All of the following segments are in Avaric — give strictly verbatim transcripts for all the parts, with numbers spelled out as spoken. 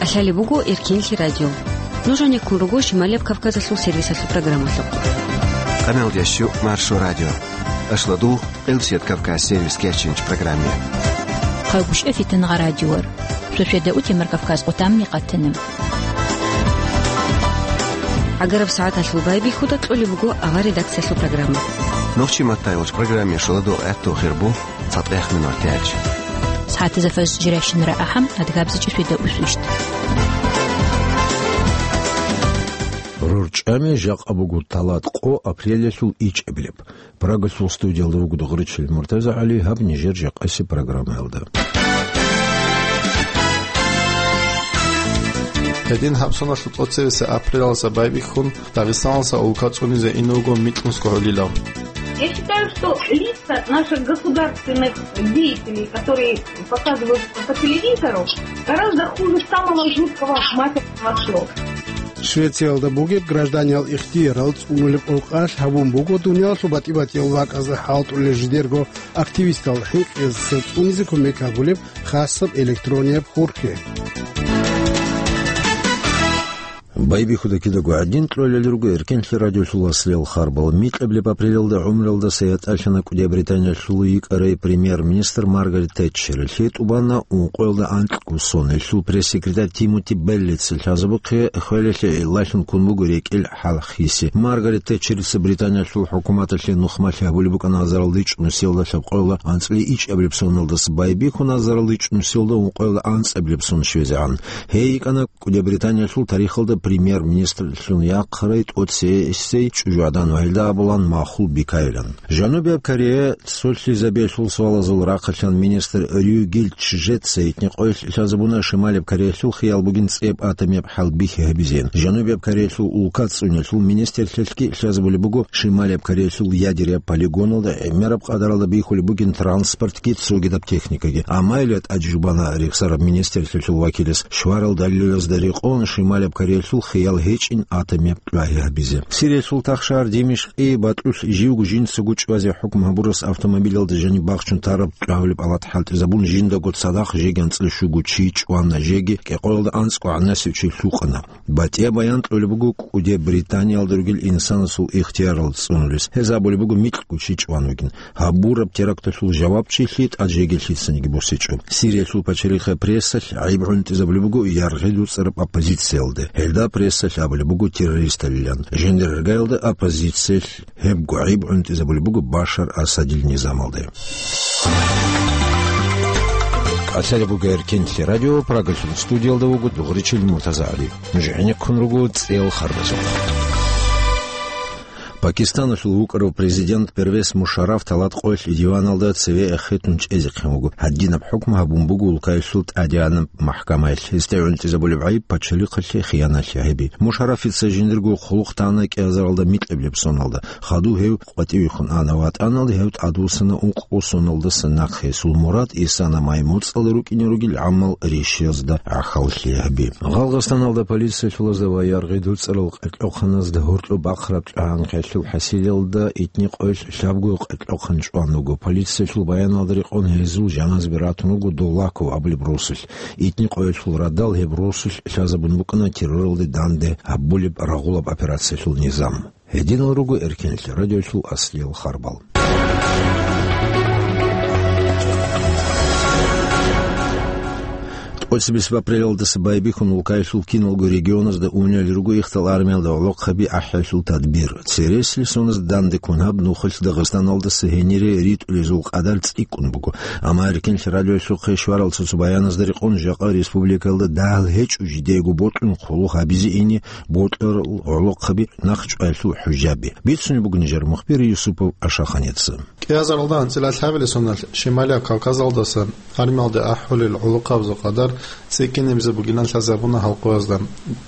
КӀалъалеб буго Эркенлъи радио. Нуж гьанеккун руго Шималияб Кавказалъул сервисалъул программалъухъ. Къамел ящу Маршо радио. Ашладул Къилсият Кавказ сервис кечинч программе. Хъагушев Фитнагъа радиор. Суседа утемар Кавказ къутамни къатана. Агараб сагӀаталъул байбихьуда кьолеб буго авар редакциялъул программа. Нохчи маттайолч программе шоладо гӀатту хирбу. ЦатӀехъ минор тяч. СагӀатазда фаз жиращинара ахӀам, адгабзичӀи светда усвищт. РорчӀами жакъа буго талат къо апрелалъул ичӀабилеб. Прагалъул студиялда вуго Дугъричил МуртазагӀали, гьаб нижер жакъаси программаялда. Гьедин гьабсуналъул тӀоцевеса апрелалса байбихьун, Дагъистаналса улка цӀунизе ин вуго микьнусго гьолилав. Я считаю, что лица наших государственных деятелей, которые показывают по телевизору, гораздо хуже самого жуткого матерного слова. Швециялда бугеб гражданиял ихтиярал цӀунулеб къокъалъ гьабун буго дуниялалъул батӀи-батӀиял вакӀазда хӀалтӀулел жидерго активистал хӀинкъиялдаса цӀунизе кумек гьабулеб хасаб электронияб хурхье. Байбихьуда кидаго гӀадин кьолел руго Эркенлъи радиолъул аслиял харбал. Микьабилеб апрелалда гӀумралдаса ятӀалъана кӀудияб Британиялъул йикӀарай премьер-министр Маргарет Тэтчер. Лъие тӀубана ункъоялда анкьго сон. Гьелъул пресс-секретарь Тимоти Беллица лъазабухъе хвелалъе гӀиллалъун ккун буго рекӀел хӀалхьиси. Маргарет Тэтчерица Британиялъул хӀукуматалъе нухмалъи гьабулеб букӀана азаралда ичӀнусиялда лъабкъоялда анцӀила ичӀабилеб соналдаса байбихьун азаралда ичӀнусиялда ункъоялда анцӀабилеб сон щвезегӀан. Гьей йикӀана кӀудияб Британиялъул тарихалда премьер-министрлъун яхъарай тӀоцесей чӀужугӀадан ва гьелда абулан махул бикайилан. Жанубияб Корея цолъизабиялъул суалазул рахъалъан министр Рюгил Чжеца итни къоялъ лъазабуна, Шималияб Кореялъул хиял бугин цӀеб атомияб хӀалбихьи гьабизин. Жанубияб Кореялъул улка цӀуниялъул министрлъалъги лъазабулеб буго, Шималияб Кореялъул ядеряб полигоналда гӀемераб къадаралда бихьулеб бугин транспортги цогидаб техникаги. Амма гьелда тӀаде жубана рехсараб министрлъалъул вакилас, щварал далилазда рекъон Шималияб Кореялъул хиял гьечӀин атомияб кьвагьи гьабизе. Сириялъул тахшагьар Димишкъи батӀулъ живго жинцаго чӀвазе хӀукму гьабурас автомобилалда жаниб бахчун тараб кьвагьулеб палат хӀалтӀизабун, жиндаго цадахъ жеги анцӀила щуго чи чӀвана, жеги кӀикъоялда анцӀго гӀанасев чи лъукъана. БатӀияб баян кьолеб буго кӀудияб Британиялда ругел инсанасул ихтиярал цӀунулес. Гьез абулеб буго микьго чи чӀван вугин. Гьабураб теракталъул жавабчилъи тӀад жеги лъицаниги босичӀо. Сириялъул пачалихъе прессалъ гӀайиб гӀунтӀизабулеб буго яргъи дуцӀараб оппозициялда. Гьелда прессалъ абулеб буго террористалилан. Жиндиргаялда оппозициялъ гьебго гӀайиб гӀунтӀизабулеб буго Башар Асадил низамалда. КӀалъалеб буго Эркенлъи радио, Прагалъул студиялда вуго Дугъричил МуртазагӀали. Нуж гӀенеккун руго цӀел харбазухъ. Пакистаналъул вукӀарав президент Первез Мушарраф талат къоялъ диваналда цеве эхетун чӀезехъин вуго. Гьадинаб хӀукму гьабун буго улкаялъул тӀадегӀанаб махӀкамаялъ. Гьесда гӀунтӀизабулеб гӀайиб пачалихъалъе хиянаталъе гьаби. Мушаррафица жиндирго хъулухъ тана кӀиазаралда микьабилеб соналда. Хадув гьев къватӀивехун ана ватӀаналда, гьев тӀадвуссана ункъго соналдаса нахъе. Гьесул мурад исана май-моцӀалда рукӀине ругел гӀамал рещтӀезда гӀахьаллъи гьаби. Гъалгъастаналда полициялъулазда ва яргъи дуцӀарал къеркьохъаназда гьоркьоб бахъараб тӀагӀан хъалъул хӀасилалда итни къоялъ лъабго къеркьохъан чӀван вуго. Полициялъул баяналда рекъон гьезул жаназаби ратун вуго Долаков абулеб росулъ. Итни къоялъул радал гьеб росулъ лъазабун букӀана терроралде данде гьабулеб рагъулаб операциялъул низам. Гьединал руго Эркенлъи радиолъул аслиял харбал. ТӀоцебесеб апрелалдаса байбихьун улкаялъул киналго регионазда унел руго Ихтал армиялда гӀолохъаби ахӀиялъул тадбир. Цересел соназ данде ккун гьаб нухалъ Дагъистаналдаса гьенире ритӀулезул къадар цӀикӀкӀун буго. Амма Эркенлъи радиоялъухъе щварал цо-цо баяназда рекъон жакъа республикалда дагьал гьечӀо жидеего бокьун хъулухъ гьабизе ине бокьарал гӀолохъаби, нахъчӀваялъул хӀужаби. Бицунеб буго нижер мухбир Юсупов Ашаханица. КӀиазаралда анцӀила лъабилеб соналъ Шималияб Кавказалдаса армиялде ахӀулел гӀолохъабазул къадар цӀикӀкӀинабизе бугилан лъазабуна гьал къоязда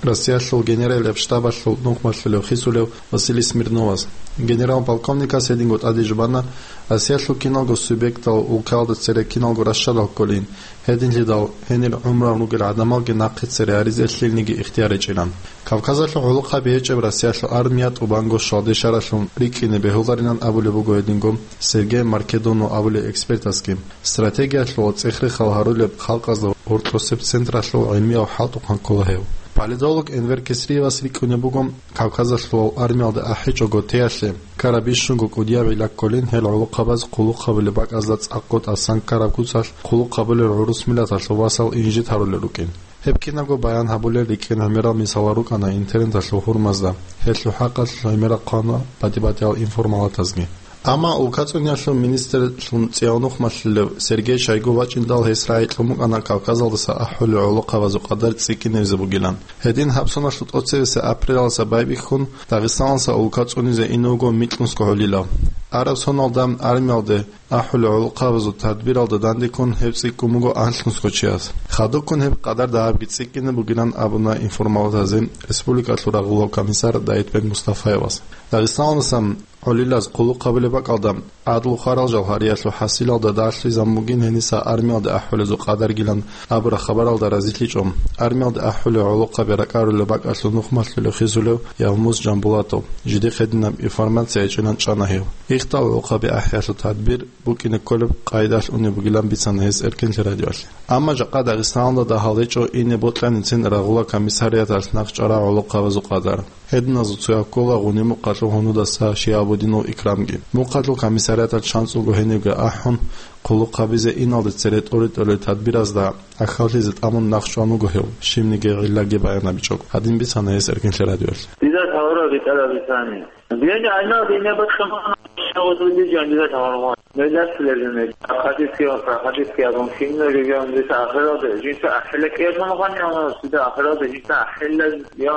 Россиялъул генералияб штабалъул нухмалъулев хисулев Василий Смирновас. Генерал-полковникас гьединго тӀаде жубана, Россиялъул киналго субъектал улкаялда цере киналго рашшадал кколин, гьединлъидал гьенир гӀумруялъ ругел гӀадамалги нахъе цере гьаризе лъилниги ихтияр гьечӀилан. Кавказалъул гӀолохъаби гьечӀеб Россиялъул армия тӀубанго щвалде шаралъун рикӀкӀине бегьуларилан абулеб буго гьединго Сергей Маркедону абулев экспертасги. Стратегиялъул цӀех-рехал гьарулеб халкъазда гьоркьосеб централъул гӀилмияв хӀалтӀухъан ккола гьев. Политолог Энвер Кесриевас рикӀкӀунеб буго, Кавказалъулал армиялда ахӀичӀого теялъе, ккараб бищунго кӀудияб гӀилла кколин гьел гӀолохъабаз хъулухъ гьабулеб бакӀазда цӀакъго тӀасан ккараб куцалъ хъулухъ гьабулел гӀурус миллаталъул васал инжит гьарулел рукӀин. Гьеб кинабго баян гьабулел рикӀкӀин гӀемерал мисалал рукӀана интернеталъул гьурмазда, гьелъул хӀакъалъулъ гӀемерал хъвана батӀи-батӀиял информалатазги. Амма улкацӀуниялъул министрлъун цӀиявнухъ малъулев Сергей Шойгу вачӀиндал гьес рагӀи кьун букӀана Кавказалдаса ахӀулел гӀолохъабазул къадар цӀикӀкӀинабизе бугилан. Гьедин гьаб соналъул тӀоцебесеб апрелалдаса байбихьун, Дагъистаналдаса улкацӀунизе инев вуго Микьнусго гӀолилав. Араб соналда армиялде ахӀулел гӀолохъабазул тадбиралда дандеккун гьеб цӀикӀкӀун буго анлънусго чияс. Хадубккун гьеб къадар дагьабги цӀикӀкӀине бугилан абуна информалатазе республикалъул рагъулав комиссар Даитбек Мустафаевас. Дагъистаналдасан гӀолилаз хъулухъ гьабулеб бакӀалда, гӀадлу хварал жал гьариялъул хӀасилалда далъизабун бугин гьениса армиялде ахӀулезул къадаргилан абураб хабаралда разилъичӀо армиялде ахӀулел гӀолохъаби ракӀарулел бакӀалъул нухмалъулев хисулев Явмуз Жамбулатов. Жидехъ гьединаб информация гьечӀилан чӀана гьев. Ихтал гӀолохъаби ахӀиялъул тадбир букӀине кколеб къайдалъ унеб бугилан бицана гьес Эркенлъи радиоялъе. Амма жакъа Дагъистаналда дагьал гьечӀо ине бокьанин цин рагъула комиссариаталъ нахъ чӀарал гӀолохъабазул къадар. Гьединазул цояв ккола Гъуни-Мухъалъул гьунудаса Шиабудинов Икрамги. Мухъалъул комиссариаталъ чанцӀулго гьенивги ахӀун, хъулухъ гьабизе иналде цере тӀоре-тӀолел тадбиразда гӀахьаллъизе тӀамун нахъ чӀван вуго гьев, щибниги гӀиллаги баянабичӀого. Гьадин бицана гьес Эркенлъи радиоялъе. Дида тавара битӀараб бицани. Дида гӀайнал дине бахъамана шагъудулли жан дида таваргъан. Меллатлъулеб жо мел. Ахадисги ва сахадисги абун кино жо жан дида ахиралде. Жинца ахила кӀерман гъани ана дида ахиралде жинца ахила я.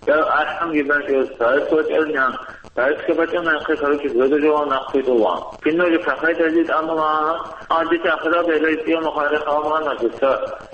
Я ахӀанги бачӀа, цаэс вачӀарнян, цаэсги бачӀана, яхъе, короче, зодажаван нахъ хутӀулан. Кино жо кахайдали тӀамулан, а дица ахиралде лай тӀиямахъ гьарихъ гьавмана дица.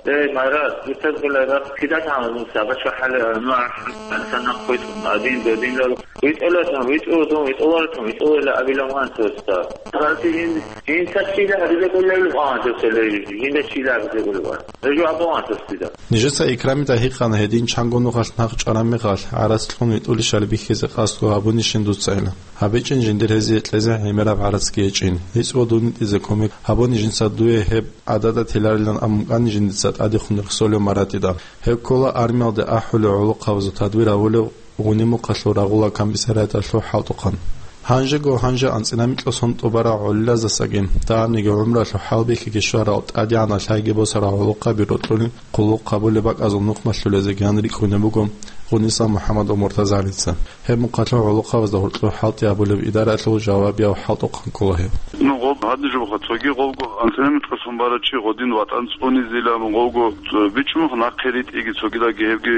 Эй, Марат, дица гула рахъ кидат гьанун саба чвахӀали, ну, ахӀан, санахъ хутӀун, адин, додин, лал. ВитӀулатун, витӀу, дун витӀуларатун, витӀулила абилан ван цоста. Харти жин, жинца чила гьариза гула лугъан цоста лей, жинда чила гьариза гула ван. Гьежо абаван цостида. Нижеца Икрамида гьикъана гьедин чанго нухалъ нахъ чӀараб мехалъ, гӀарац кьун витӀулищали бихьизе къасдго гьабунищин дуцайилан. ГьабичӀин жиндир гьезие кьезе гӀемераб гӀарацги гьечӀин. ГьечӀго дун витӀизе кумек гьабуни жинца дуе гьеб гӀадада теларилан абун кӀани жиндица тӀадехун рехсолев Маратида. Гьеб ккола армиялде ахӀулев гӀолохъабазул тадбир гьавулев Гъуни-Мухъалъул рагъула комиссариаталъул хӀалтӀухъан. Гьанжего гьанже анцӀила микьго сон тӀубарал гӀолилаздасаги, дагьабниги гӀумруялъул хӀалбихьиги щварал, тӀадегӀанал лъайги босарал гӀолохъаби рокьулин хъулухъ гьабулеб бакӀазул нухмалъулезеги гьан рикӀкӀунеб буго Гъуниса МухӀаммад ва Муртазалица. Гьеб мухъалъул гӀолохъабазда гьоркьоб хӀалтӀи гьабулеб идараялъул жавабияв хӀалтӀухъан ккола гьев. Ну, гъоб гьадин жо буха, цоги гъобго анцӀила микьго сон барав чи гъодин ватӀан цӀунизилан гъобго, э, бичӀчӀун буха нахъе ритӀиги цогидаги гьебги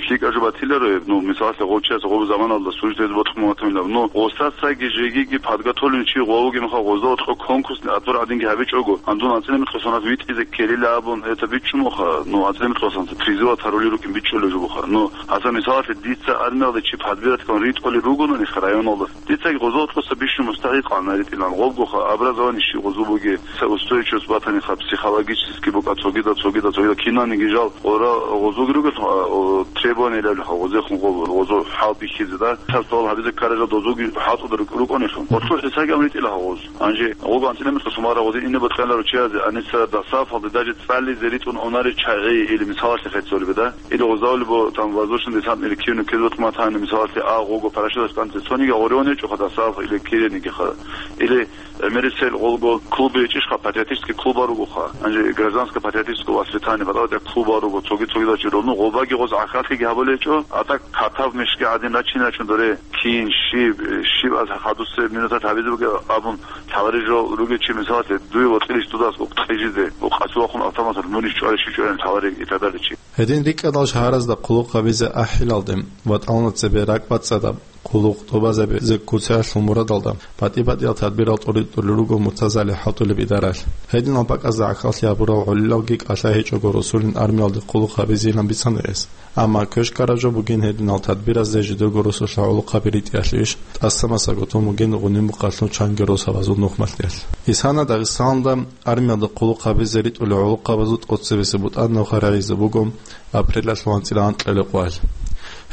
лъикӀаб жо батиларо гьеб. Ну, мисалалъе, гъов чияс гъоб заманалда служить гьез ботӀун ватунилан. Ну, гъосдасаги жегиги подготовленный чи гъов вугеб мехалъ, гъозда гьоркьоб конкурсный отбор гӀадинги гьабичӀого, гьандун анцӀила микьго соназ витӀизе ккелилан абун, это бичӀчӀун буха. Ну, анцӀила микьго соназ призывалда тарулел рукӀин бичӀчӀулеб жо буха. Ну, гьазда мисалалъе, дица армиялде чи подбирать ккун ритӀулел ругони районалда. Дицаги гъозо тӀоса бищун мустахӀикъ гьанаритӀилан гъобгоха, образование щиб гъозо бугеб, цо устойчивость батаниха, психологически букӀа цогидал, цогидал, цогидал кинаниги жал ора гъозоги ругелха, о, требование лебилха гъозехун гъо-, гъозо хӀал бихьизе, да? Цо суал гьабизе ккарал жал дозоги хӀалтӀуда рук-, рукӀунелъун. Гъорлъухъ гьесаги амритӀилаха гъоз. Гьанже гъого анцӀила микьго сон барав гъозе ине бокьаниларо чиязе, гьаниса дасафалде даже цӀализе ритӀун унарел чагӀи или мисалалъе хӀецолебе, да? Или гъозда гьолеб там воздушно-десантный или кивни ккезе батуматани, мисалалъе, а гъого парашюталъ тӀанте цониги гъорионе чӀоха дасаф или кирениги ха. Или гӀемерисел гъолго клуб гьечӀищха, патриотический клуб ругоха. Гьанже гражданско-патриотическое воспитание, батӀа-батӀа клуб руго, цоги-цогидал чи ролну, гъобаги гъоз гӀахьаллъиги гьабулел гьечӀо, а так катав мешги гӀадин рачинарачун доре, кин, щиб, щиб аз хадусеб минутат гьабизе бугеб абун, лъаларел жо ругел чи, мисалалъе, дуе вокьилищ дудас укъ кьижизе, укъ къасулахъун автоматалъ мунищ чӀварищ чи чӀварин лъаларел итадаличи. Гьедин рикӀкӀадал шагьаразда хъулухъ гьабизе ахӀилалде, ватӀална цебе ракӀбацӀцӀадаб хъулухъ тӀубазабизе куцалъул мурадалда, батӀи-батӀиял тадбирал тӀуритӀулел руго Муртазали хӀалтӀулеб идаралъ. Гьединал бакӀазда гӀахьаллъи гьабурал гӀолилалги кӀалъай гьечӀого росулин армиялде хъулухъ гьабизейилан бицана гьес. Амма квешкараб жо бугин гьединал тадбиразде жидерго росулъа гӀолохъаби ритӀиялъе иш, тӀаса-масаго тун бугин Гъуни-Мухъалъул чанги росабазул нухмалъиялъ. Исана Дагъистаналда армиялда хъулухъ гьабизе ритӀулел гӀолохъабазул тӀоцебесеб бутӀа нухарагӀизе буго апрелалъул анцӀила анкьабилеб къоялъ.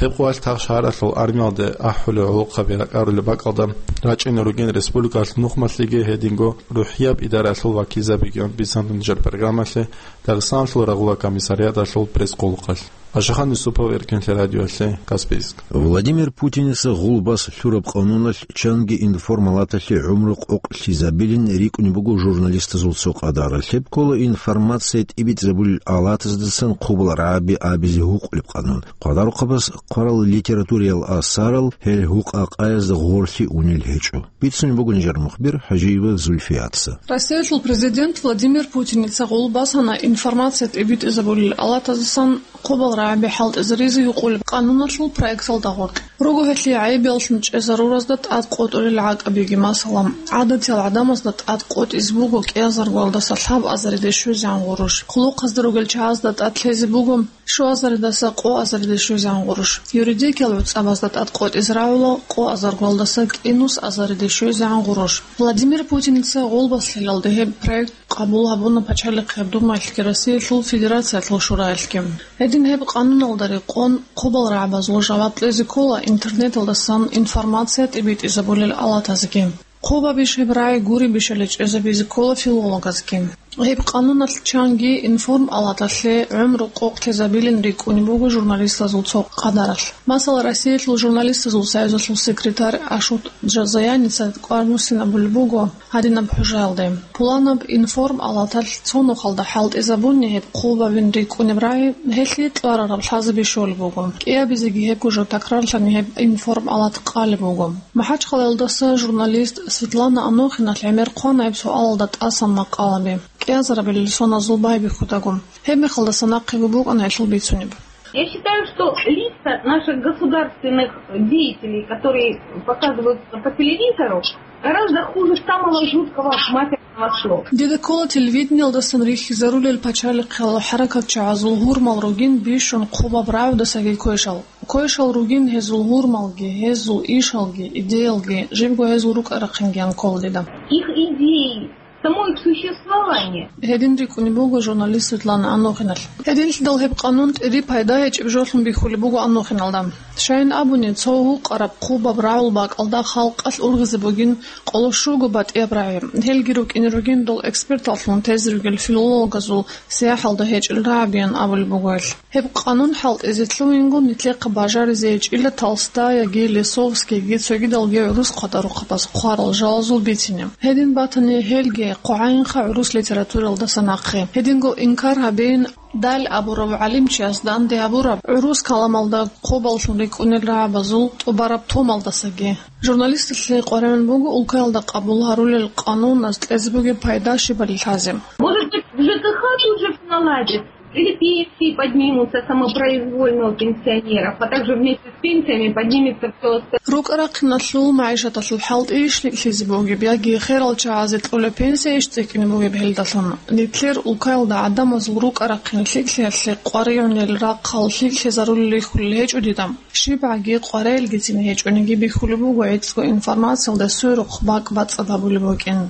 Гьеб къоялъ тахшагьаралъул армиялде ахӀулел гӀолохъаби ракӀарулеб бакӀалда рачӀине ругин республикалъ нухмалъиги гьединго рухӀияб идараялъул вакилзабиги. Бицанлъун нижер программалъе Дагъистаналъул рагъула комиссариаталъул пресс-къулухъалъ. Ашахан Юсупов, Эркенлъи радиоялъе, Каспийск. Владимир Путиница гъулбас лъураб къануналъ чанги информалаталъе гӀумру къокълъизабилин рикӀкӀунеб буго журналистазул цо къадаралъ. Гьеб ккола информация тӀибитӀизабулел алатаздасан хъубал рагӀаби абизе гьукъулеб къанун. Хъвадарухъабаз хъварал литературиял асарал гьел гьукъа-къаязда гъорлъи унел гьечӀо. Бицунеб буго нижер мухбир ХӀажиева Зульфияца. Россиялъул президент Владимир Путиница гъулбасана информация тӀибитӀизабулел алатаздасан хъубал рагӀаби хӀалтӀизаризе гьукъулеб къануналъул проекталда гъоркь. Руго гьелъие гӀайибияллъун чӀезаруразда тӀад къотӀулел гӀакъабиги, масала, гӀадатиял гӀадамазда тӀад къотӀизе буго кӀиазаргоялдаса лъабазариде щвезегӀан гъурущ, хъулухъазда ругел чагӀазда тӀад лъезе буго щуазаридаса къоазариде щвезегӀан гъурущ, юридикиял гӀуцӀабазда тӀад къотӀизе рагӀула къоазаргоялдаса кӀинусазариде щвезегӀан гъурущ. Владимир Путиница гъулбас лъелалде гьеб проект къабул гьабуна Пачалихъияб Думаялъги Россиялъул Федерациялъул Шураялъги. Гьедин гьеб къануналда рекъон хъубал рагӀабазул жаваб кьезе ккола интернеталдасан информация тӀибитӀизабулел алатазеги. Хъубабищ гьеб рагӀи гуребищали чӀезабизе ккола филологазги. Гьеб къануналъ чанги информалаталъе гӀумру къокълъизабилин рикӀкӀунеб буго журналистазул цо къадаралъ. Масала, Россиялъул журналистазул союзалъул секретарь Ашот Джазаяница кӀвар-муссин абулеб буго гьадинаб хӀужаялде: пуланаб информалаталъ цо нухалда хӀалтӀизабуни гьеб хъубабин рикӀкӀунеб рагӀи, гьелъие кьварараб лъазаби щолеб буго. КӀиабизеги гьебго жо такрарлъани гьеб информалат къалеб буго. МахӀачхъалаялдаса журналист Светлана Анохиналъ гӀемер хъвана гьеб суалалда тӀасан макъалаби, кӀиазарабилел соназул байбихьудаго. Гьеб мехалдаса нахъего букӀана гьелъул бицунеб. Я считаю, что лица наших государственных деятелей, которые показываются по телевизору, гораздо хуже самого жуткого мафиозного слова. Дида ккола телевидениялдасан рихьизарулел пачалихъал хӀаракатчагӀазул гьурмал ругин бищун хъубаб рагӀудасаги квешал. Квешал ругин гьезул гьурмалги, гьезул ишалги, идеялги, жибго гьезул рукӀа-рахъинги анкола дида. Их идеи, само их существование. Гьедин рикӀкӀунеб буго журналист Светлана Анохиналъ. Гьединлъидал гьеб къанун тӀири пайда гьечӀеб жолъун бихьулеб буго Анохиналда. Щайин абуни, цо гьукъараб хъубаб рагӀул бакӀалда халкъалъ ургъизе бугин къоло щуго батӀияб рагӀи. Гьелги рукӀине ругин дол эксперталлъун тезе ругел филологазул сияхӀалда гьечӀел рагӀабиян абулеб буго гьелъ. Гьеб къанун хӀалтӀизе лъугьингун нилъехъа бажаризе гьечӀила Толстаяги, Лисовскийги, цогидалги гӀурус хъвадарухъабаз хъварал жалазул бицине. Гьедин батани, гьелги хъвагӀайинха гӀурус литературалдаса нахъе. Гьединго инкар гьабейин, Даль абурав гӀалимчияс данде гьабураб гӀурус каламалда хъубаллъун рикӀкӀунел рагӀабазул тӀубараб томалдасаги. Журналисталъе къваригӀун буго улкаялда къабул гьарулел къануназ кьезе бугеб пайда щибали лъазе. Может быть, в Ж К Х тут же всё наладится? Или пенсии поднимутся самопроизвольно у пенсионеров, а также вместе с пенсиями поднимется всё остальное? РукӀа-рахъиналъул, магӀишаталъул хӀалтӀийищ лъикӀлъизе бугеб, яги херал чагӀазе кьола пенсияйищ цӀикӀкӀине бугеб гьелдалъун? Нилъер улкаялда гӀадамазул рукӀа-рахъин лъикӀлъиялъе къваригӀунел рахъал лъикӀлъизарулел рихьулел гьечӀо дида. ЩибгӀаги къваригӀелгицин гьечӀониги бихьулеб буго гӀицӀго информациялда сверухъ бакӀ бацӀцӀад гьабулеб букӀин.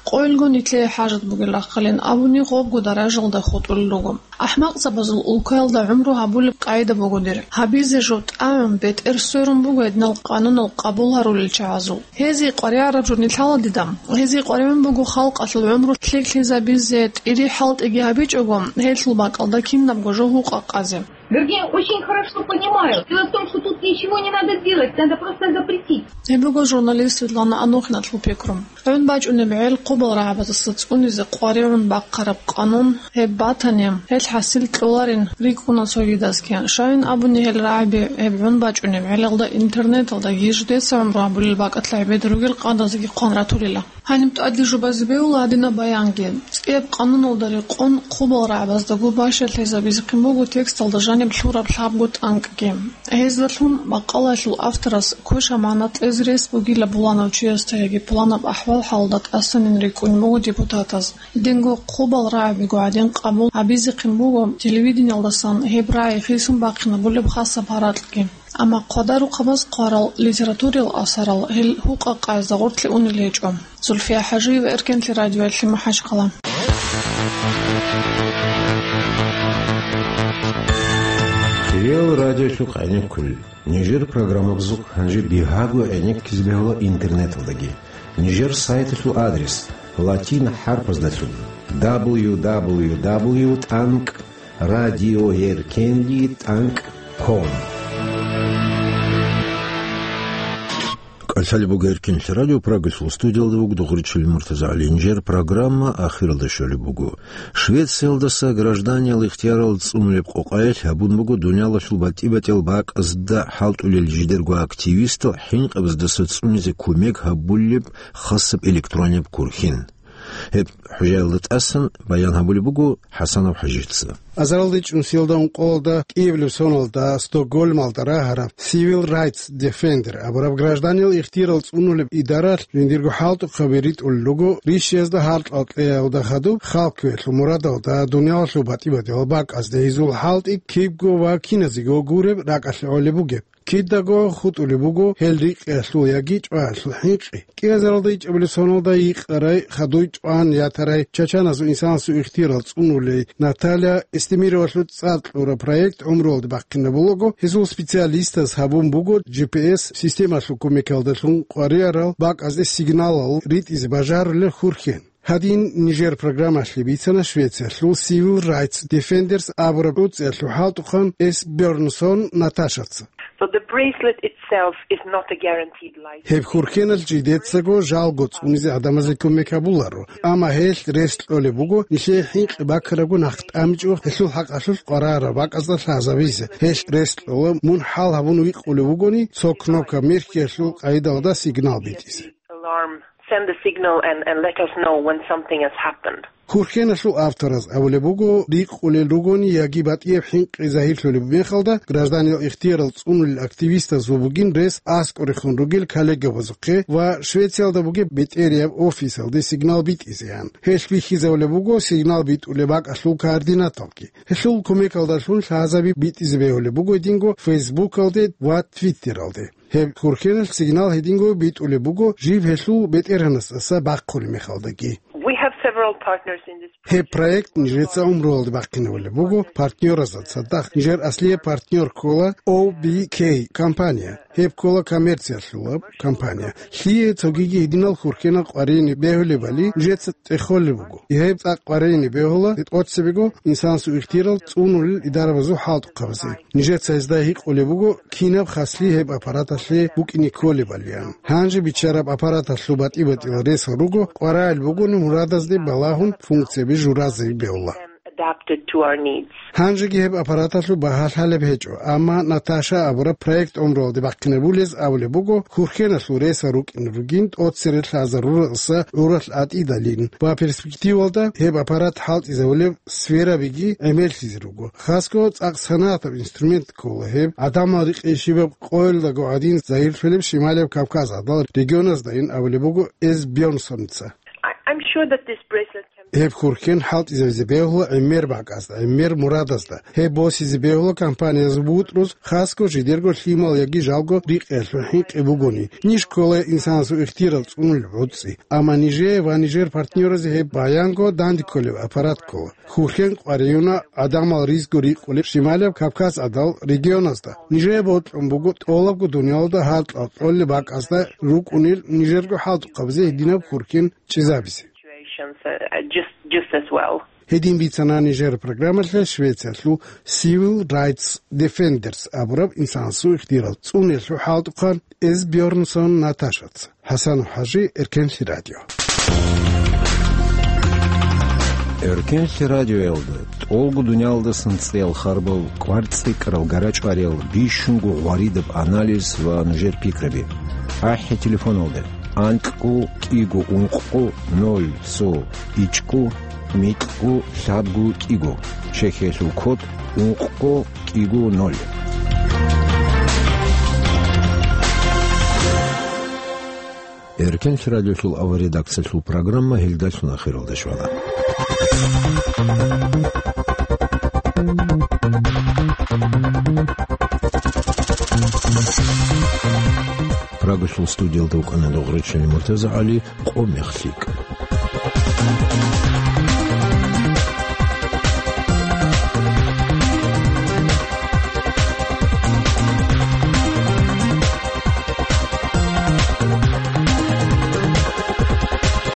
Къойилго нилъее хӀажат бугел рахъалин абуни гъобго даражалда хутӀулел руго. АхӀмакъзабазул улкаялда гӀумру гьабулеб къагӀида буго дир. Гьабизе жо тӀагӀун бетӀер сверун буго гьединал къанунал къабул гьарулел чагӀазул. Гьезие къваригӀараб жо нилъ гьаладидам. Гьезие къваригӀун буго халкъалъул гӀумру лъикӀлъизабизе, тӀири хӀалтӀиги гьабичӀого, гьелъул бакӀалда кинабго жо гьукъа-къазе. Вернее, очень хорошо понимаю. Дело в том, что тут ничего не надо делать, надо просто запретить. Гьеб буго журналист Светлана Анохиналъул пикру. ГӀун бачӀунеб гӀел хъубал рагӀабаздаса цӀунизе къваригӀун бахъараб къанун гьеб батани, гьел хӀасил кьоларин рикӀкӀуна цогидазги. Щайин абуни, гьел рагӀаби гьеб гӀун бачӀунеб гӀелалда интернеталдаги жидеца гӀумру гьабулел бакӀалъа гӀебед ругел къадазеги хъван ратулила. Гьаниб тӀаде жубазе бегьула гьадинаб баянги. ЦӀияб къануналда рекъон хъубал рагӀабаздаго бащалъизабизехъин буго тексталда жаниб лъураб лъабго тӀанкӀги. Гьездалъун макъалаялъул авторас квеша магӀна кьезе рес бугила буланав чиясда яги пуланаб ахӀвал-хӀалда тӀасанин рикӀкӀунеб буго депутатаз. Динго хъубал рагӀабиго гӀадин къабул гьабизехъин буго телевидениялдасан гьеб рагӀи хисун бахъинабулеб хасаб гьаракьги. Амма хъвадарухъабаз хъварал литературиял асарал гьел гьукъа-къаязда гъоркье унел гьечӀо. Зульфия ХӀажиева, Эркенлъи радиоялъе, МахӀачхъала. Реал радиолъухъ гӀенеккулел. Нижер программабазухъ гьанже бигьаго гӀенеккизе бегьула интернеталдаги. Нижер сайталъул адрес латин хӀарпаздалъун: дабл ю дабл ю дабл ю тӀанкӀ радиоеркенли тӀанкӀ ком. КӀалъалеб буго Эркенлъи радио, Прагалъул студиялда вуго Дугъричилин МуртазагӀали. Нижер программа ахиралде щолеб буго. Швециялдаса гражданиял ихтиярал цӀунулеб къокъаялъ гьабун буго дуниялалъул батӀи-батӀиял бакӀазда хӀалтӀулел жидерго активистал хӀинкъабаздаса цӀунизе кумек гьабулеб хасаб электрониб курхин. Гьеб хӀужаялда тӀасан баян гьабулеб буго ХӀасанов ХӀажица. Азаралде чӀунсиялда ункъоялда кӀиабилеб соналда Стокгольмалда рагьараб Civil Rights Defender абураб гражданиял ихтиярал цӀунулеб идаралъ жиндирго хӀалтӀухъаби ритӀулел руго рищиязда гьаркьал кьеялда хадуб, халкъ квералъул мурадалда, дуниялалъул батӀи-батӀиял бакӀазда гьезул хӀалтӀи кибго ва киназего гуреб ракӀалъе гӀолеб бугеб. Кидаго хутӀулеб буго гьел рикъиялъул яги чӀваялъул хӀинкъи. КӀиазаралда ичӀабилеб соналда йикъарай, хадуй чӀван ятарай чачаназул инсанасул ихтиярал цӀунулей Наталья Эстемировалъул цӀар кьураб проект гӀумруялде бахъинабулаго, гьезул специалистаз гьабун буго G P S системалъул кумекалдалъун къваригӀарал бакӀазде сигналал ритӀизе бажарулел хурхен. Гьадин, нижер программалъе бицана Швециялъул Civil Rights Defenders абураб гӀуцӀиялъул хӀалтӀухъан Эс Бёрнсон Наташаца. So the bracelet itself is not a guaranteed life. Гьеб хурхеналъ жидецаго жалго цӀунизе гӀадамазе кумек гьабуларо, амма гьелъ рес кьолеб буго нилъее хӀинкъи бакарабго нахъ тӀамичӀо гьелъул хӀакъалъулъ къварараб бакӀазда лъазабизе. Гьелъ рес кьола мун хӀал гьабун викъулев вугони, цо кнопка мехьиялъул къайдалда сигнал битӀизе. Alarm, send a signal and, and let us know when something has happened. Хурхеналъул автораз абулеб буго, рикъулел ругони яги батӀияб хӀинкъи загьирлъулеб мехалда, гражданиял ихтиярал цӀунулел активистазул бугин рес аскӀорехун ругел коллегабазухъе ва Швециялда бугеб бетӀерияб офисалде сигнал битӀизеян. Гьелъ бихьизабулеб буго сигнал битӀулеб бакӀалъул координаталги. Гьелъул кумекалдалъун лъазаби битӀизе бегьулеб буго гьединго Фейсбукалде ва Твиттералде. Гьеб хурхеналъ сигнал гьединго битӀулеб буго жиб гьелъул бетӀергьанасдаса бахъулеб мехалдаги. We have several partners in this Гьеб проект нижеца гӀумруялде бахъинабулеб буго партнёразда цадахъ. Нижер аслияб партнёр ккола O B K компания. Гьеб ккола коммерциялъулаб компания. Лъие цогиги гьединал хурхенал къваригӀине бегьулебали нижеца тӀехолеб буго. Гьеб цӀакъ къваригӀине бегьула тӀоцебего инсанасул ихтиярал цӀунулел идарабазул хӀалтӀухъабазе. Нижеца гьезда гьикъулеб буго, кинаб хаслъи гьеб аппараталъе букӀине кколебалиан. Гьанже биччараб аппараталъул батӀи-батӀиял ресал руго, къваригӀел бугони мурадазде балагьун функцияби журазе бегьула. Adapted to our needs. Гьанжеги гьеб аппараталъул багьа лъалеб гьечӀо, амма Наташа абураб проект гӀумруялде бахъинабулез абулеб буго, хурхеналъул ресал рукӀине ругин тӀоцере лъазарураса гӀуралъ атӀидалин ва перспективалда гьеб аппарат хӀалтӀизабулеб сферабиги гӀемерлъизе руго. Хасго цӀакъ санагӀатаб инструмент ккола гьеб, гӀадамал рикъи щибаб къоялдаго гӀадин загьирлъулеб Шималияб Кавказ гӀадал регионаздайин абулеб буго Эс Бёрнсонца. I, I'm sure that this bracelet can Гьеб хурхен хӀалтӀизабизе бегьула гӀемер бакӀазда, гӀемер мурадазда. Гьеб босизе бегьула компаниязул бутӀруз, хасго жидерго лъимал яги жалго рикъиялъул хӀинкъи бугони. Ниж ккола инсанасул ихтиярал цӀунулеб гӀуцӀи. Амма нижее ва нижер партнёразе гьеб баянго данде кколеб аппарат ккола. Хурхен къваригӀуна гӀадамал ризго рикъулеб Шималияб Кавказ гӀадал регионазда. Нижее бокьун буго тӀолабго дуниялалда гьаркьал кьолеб бакӀазда рукӀунел нижерго хӀалтӀухъабазе гьединаб хурхен чӀезабизе. Situations, uh, just, just as well. Гьедин бицана нижер программалъе Швециялъул Civil Rights Defenders абураб инсанасул ихтиярал цӀуниялъул хӀалтӀухъан Эс Бёрнсон Наташаца. ХӀасан ХӀажи, Эркенлъи радио. Эркенлъи радиоялда тӀолго дуниялдасан цӀеял харбал, кӀвар цӀикӀкӀарал, гара чӀвариял, бищунго гъваридаб анализ ва нужер пикраби. АхӀи телефоналда: анкьго кӀиго ункъго ноль цо ичӀго микьго лъабго кӀиго, Чехиялъул код ункъго кӀиго ноль. Эркенлъи радиолъул авария редакциялъул программа гьелдалъун ахиралде щвана. Прагалъул студиялда вукӀана Дугъричилин МуртазагӀали. Къо мехлъи ккан.